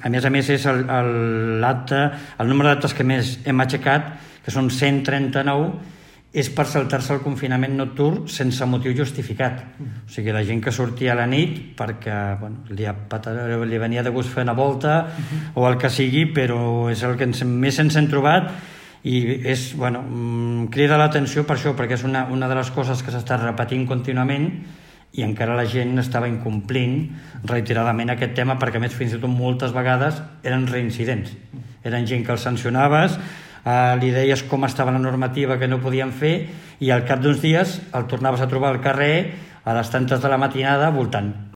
A més, és el número d'actes que més hem aixecat, que són 139, és per saltar-se el confinament nocturn sense motiu justificat. O sigui, la gent que sortia a la nit perquè li venia de gust fer una volta o el que sigui, però és el que més ens hem trobat i crida l'atenció per això, perquè és una de les coses que s'està repetint contínuament i encara la gent estava incomplint reiteradament aquest tema, perquè a més fins i tot moltes vegades eren reincidents. Eren gent que els sancionaves, li deies com estava la normativa que no podien fer i al cap d'uns dies el tornaves a trobar al carrer a les tantes de la matinada voltant.